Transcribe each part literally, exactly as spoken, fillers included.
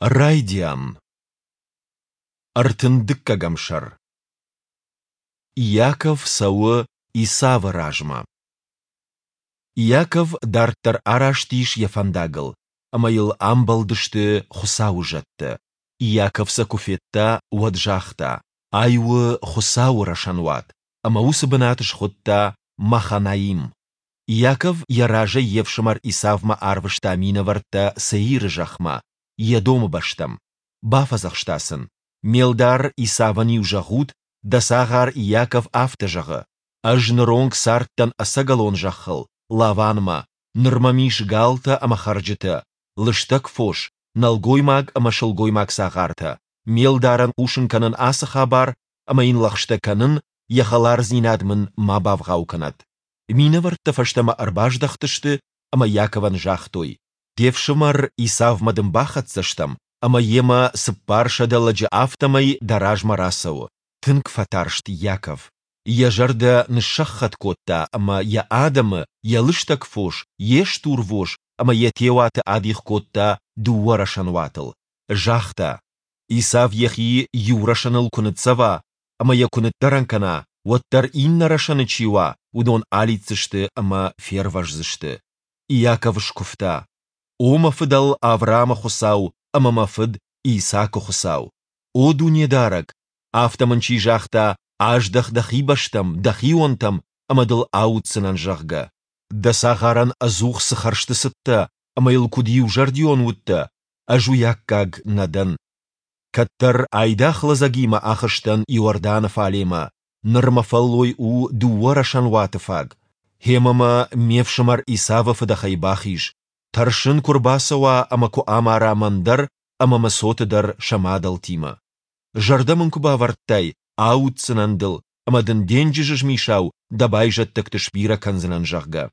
Райдиан. Ӕртын дыккӕгӕм сӕр. Иаков цӕуы Исавы размӕ. Иаков дарддӕр араст ис йӕ фӕндагыл, ӕмӕ йыл амбӕлдысты Хуыцауы зӕдтӕ. Иаков сӕ куы федта, уӕд загъта, Ай у Хуыцауы рӕсӕнуат, ӕмӕ уыцы бынат схуыдта Маханаим. Иаков йӕ разӕй йе фсымӕр Исавмӕ арвыста минӕвӕрттӕ Сеиры зӕхмӕ, Едомы бӕстӕм. Бафӕдзӕхста сын, Ме лдар Исавӕн-иу зӕгъут, дӕ цагъар Иаков афтӕ зӕгъы: Ӕз ныронг цардтӕн ӕцӕгӕлон зӕххыл, Лаванмӕ, ныр мӕм ис галтӕ ӕмӕ хӕрджытӕ, лыстӕг фос, нӕлгоймаг ӕмӕ сылгоймаг цагъартӕ. Ме лдарӕн хъусын кӕнын ацы хабар ӕмӕ йын лӕгъстӕ кӕнын, йӕ хӕлардзинад мын ма бавгъау кӕнӕд. Минӕвӕрттӕ фӕстӕмӕ ӕрбаздӕхтысты ӕмӕ Иаковӕн загътой, Де фсымӕр Исавмӕ дын бахӕццӕ стӕм, ӕмӕ йемӕ цыппарсӕдӕ лӕджы, афтӕмӕй дӕ размӕ рацӕуы. Тынг фӕтарст Иаков. Йӕ зӕрдӕ ныссӕххӕтт кодта ӕмӕ йӕ адӕмы, йӕ лыстӕг фос, йе стурвос ӕмӕ йӕ теуаты адих кодта дыууӕ рӕсӕнуатыл. Загъта, Исав йӕхи иу рӕсӕныл куы ныццӕва ӕмӕ йӕ куы ныддӕрӕн кӕна, уӕддӕр иннӕ рӕсӕны чи уа, уыдон алидздзысты ӕмӕ фервӕздзысты. Иаков скуывта, О мӕ фыдӕл Авраамы Хуыцау ӕмӕ мӕ фыд Исаакы Хуыцау! О Дунедарӕг, афтӕ мын чи загъта, аздӕх дӕхи бӕстӕм, дӕхионтӕм, ӕмӕ дыл ауддзынӕн, зӕгъгӕ. Дӕ цагъарӕн ӕдзух цы хӕрзты цыдтӕ ӕмӕ йыл куыд иузӕрдион уыдтӕ, ӕз уый аккаг нӕ дӕн. Кӕддӕр айдагъ лӕдзӕгимӕ ахызтӕн Иорданы фалемӕ, ныр мӕ фӕллой у дыууӕ рӕсӕнуаты фаг. Гъемӕ мӕ ме фсымӕр Исавы фыдӕхӕй бахиз. Тӕрсын, куы рбацӕуа ӕмӕ куы амара мӕн дӕр ӕмӕ мӕ цоты дӕр сӕ мадӕлтимӕ. Зӕрдӕ мын куы бавӕрдтай, ауддзынӕн дыл ӕмӕ дын денджызы змисау дӕ байзӕддӕгты сбирӕ кӕндзынӕн, зӕгъгӕ.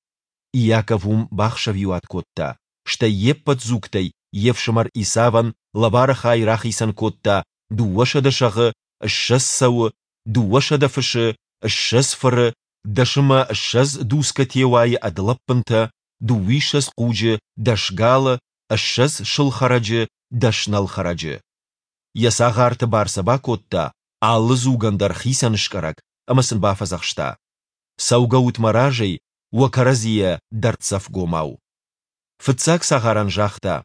Иаков уым бахсӕвиуат кодта, стӕй йе ппӕт дзугтӕй йе фсымӕр Исавӕн лӕвары хай рахицӕн кодта дыууӕсӕдӕ сӕгъы, ссӕдз цӕуы, дыууӕсӕдӕ фысы, ссӕдз фыры, дӕс ӕмӕ ссӕдз дуцгӕ теуайы ӕд лӕппынтӕ, дыууиссӕдз хъуджы, дӕс галы, ссӕдз сыл хӕрӕджы, дӕс нӕл хӕрӕджы. Йӕ цагъарты бар сӕ бакодта, алы дзугӕн дӕр хицӕн скъӕрӕг, ӕмӕ сын бафӕдзӕхста: Цӕугӕут мӕ разӕй, уӕ кӕрӕдзийӕ дӕрддзӕфгомау. Фыццаг цагъарӕн загъта: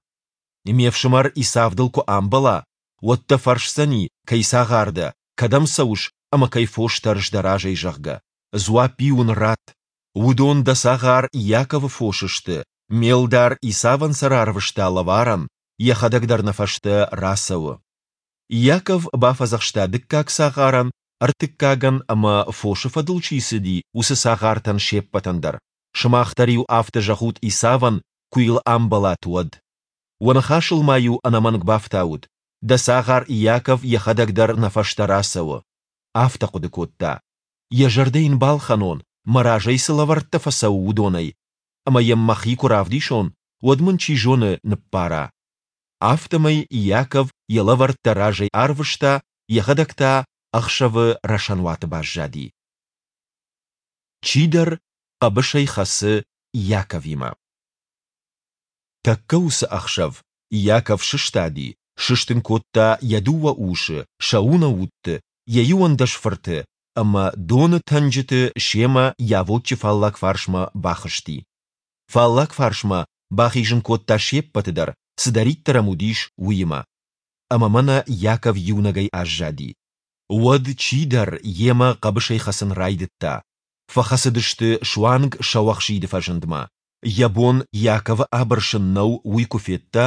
Ме фсымӕр Исав дыл куы амбӕла, уӕд дӕ фӕрсдзӕни, кӕй цагъар дӕ, кӕдӕм цӕуыс ӕмӕ кӕй фос тӕрыс дӕ разӕй, зӕгъгӕ. Дзуапп-иу ын ратт: Уыдон дӕ цагъар Иаковы фос сты, ме лдар Исавӕн сӕ рарвыста лӕварӕн, йӕхӕдӕг дӕр нӕ фӕстӕ рацӕуы. Иаков бафӕдзӕхста дыккаг цагъарӕн, ӕртыккагӕн ӕмӕ, фосы фӕдыл чи цыди, уыцы цагъартӕн се ппӕтӕн дӕр: Сымах дӕр-иу афтӕ зӕгъут Исавӕн, куы йыл амбӕлат, уӕд. Уӕ ныхасыл ма-иу ӕнӕмӕнг бафтаут: Дӕ цагъар Иаков йӕхӕдӕг дӕр нӕ фӕстӕ рацӕуы. Афтӕ хъуыды кодта: Йӕ зӕрдӕ йын балхӕнон, мӕ разӕй цы лӕвӕрттӕ фӕцӕуы, уыдонӕй, ӕмӕ йӕм мӕхи куы равдисон, уӕд мын, чи зоны, ныббара. Афтӕмӕй Иаков йӕ лӕвӕрттӕ разӕй арвыста, йӕхӕдӕг та ӕхсӕвы рӕсӕнуаты баззади. Чидӕр хъӕбысӕй хӕцы Иаковимӕ. Тӕккӕ уыцы ӕхсӕв Иаков сыстади, сыстын кодта йӕ дыууӕ усы, сӕ унӕутты, йӕ иуӕндӕс фырты ӕмӕ доны тӕнджыты семӕ Йавоччы фаллаг фарсмӕ бахызти. Фаллаг фарсмӕ бахизын кодта се ппӕты дӕр, цыдӕриддӕр ӕм уыдис, уыимӕ. Ӕмӕ мӕнӕ Иаков иунӕгӕй аззади. Уӕд чидӕр йемӕ хъӕбысӕй хӕцын райдыдта. Фӕхӕцыдысты суанг сӕуӕхсиды фӕзындмӕ. Йӕ бон Иаковы абырсын нӕу, уый куы федта,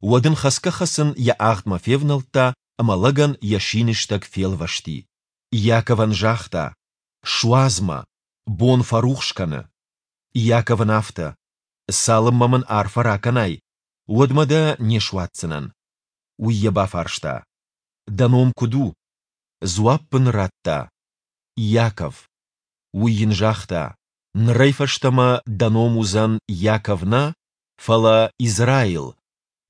уӕд ын хӕцгӕ-хӕцын йӕ агъдмӕ февнӕлдта ӕмӕ лӕгӕн йӕ синыстӕг фелвӕсти. Иаковӕн загъта: Суадз мӕ, бон фӕрухс кӕны. Иаков ын афтӕ: Цалынмӕ мын арфӕ ракӕнай, уӕдмӕ дӕ не суадздзынӕн. Уый йӕ бафарста: Дӕ ном куыд у? Дзуапп ын радта: Иаков. Уый йын загъта: Нырӕй фӕстӕмӕ дӕ ном уыдзӕн Иаков нӕ, фӕлӕ Израил,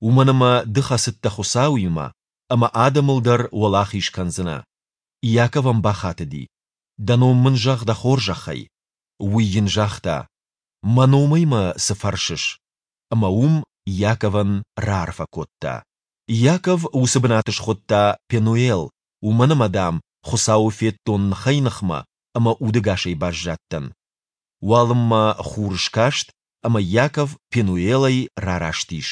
уымӕн ӕмӕ ды хӕцыдтӕ Хуыцауимӕ, ӕмӕ адӕмыл дӕр уӕлахиз кӕндзынӕ. Иаков ӕм бахатыди: Дӕ ном мын зӕгъ дӕ хорзӕхӕй. Уый йын загъта: Мӕ номӕй мӕ цы фӕрсыс? Ӕмӕ уым Иаковӕн раарфӕ кодта. Иаков уыцы бынат схуыдта Пенуел, уымӕн ӕмӕ, дам, Хуыцауы федтон ныхӕй-ныхмӕ ӕмӕ удӕгасӕй баззадтӕн. Уалынмӕ хур скаст, ӕмӕ Иаков Пенуелӕй рараст ис.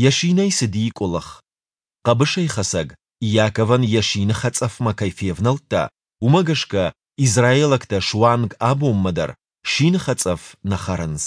Йӕ синӕй цыди къуылых. Хъӕбысӕйхӕцӕг Иаковӕн йӕ сины хӕцъӕфмӕ кӕй февнӕлдта, уымӕ гӕсгӕ израилӕгтӕ суанг абонмӕ дӕр сины хӕцъӕф нӕ хӕрынц.